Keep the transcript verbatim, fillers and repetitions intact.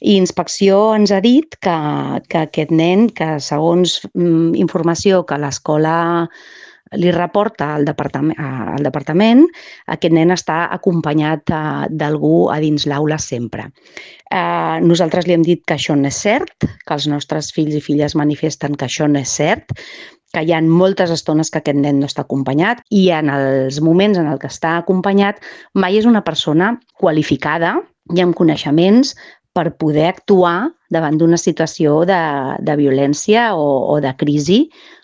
I Inspecció ens ha dit que, que aquest nen, que segons mm, informació que l'escola li reporta al departament, al departament, aquest nen està acompanyat eh, d'algú a dins l'aula sempre. Eh, nosaltres li hem dit que això no és cert, que els nostres fills i filles manifesten que això no és cert, que hi ha moltes estones que aquest nen no està acompanyat i en els moments en el que està acompanyat mai és una persona qualificada i amb coneixements per poder actuar davant d'una situació de, de violència o, o de crisi